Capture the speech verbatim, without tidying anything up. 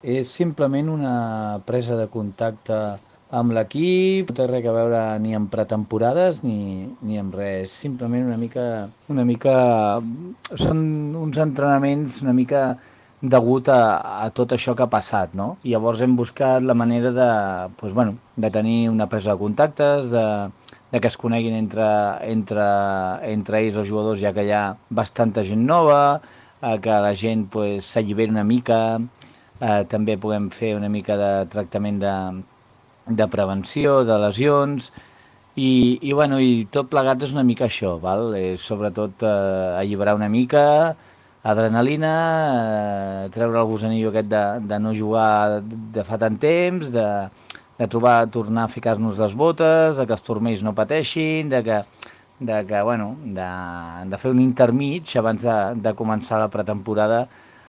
És simplement una presa de contacte amb l'equip, no té res a veure ni amb pretemporades ni, ni amb res, simplement una mica, una mica, són uns entrenaments una mica degut a, a tot això que ha passat, no? I llavors hem buscat la manera de, doncs, bueno, de tenir una presa de contactes, de, de que es coneguin entre, entre, entre ells els jugadors, ja que hi ha bastanta gent nova, eh, que la gent pues, s'alliberi una mica, eh, també puguem fer una mica de tractament de, de prevenció, de lesions, i, i, bueno, i tot plegat és una mica això, val? És sobretot eh, alliberar una mica, adrenalina, eh, treure el gusanillo aquest de, de no jugar de fa tant temps, de, de trobar, tornar a ficar-nos les botes, de que els turmells no pateixin, de que, de que bueno, de, de fer un intermig abans de, de començar la pretemporada,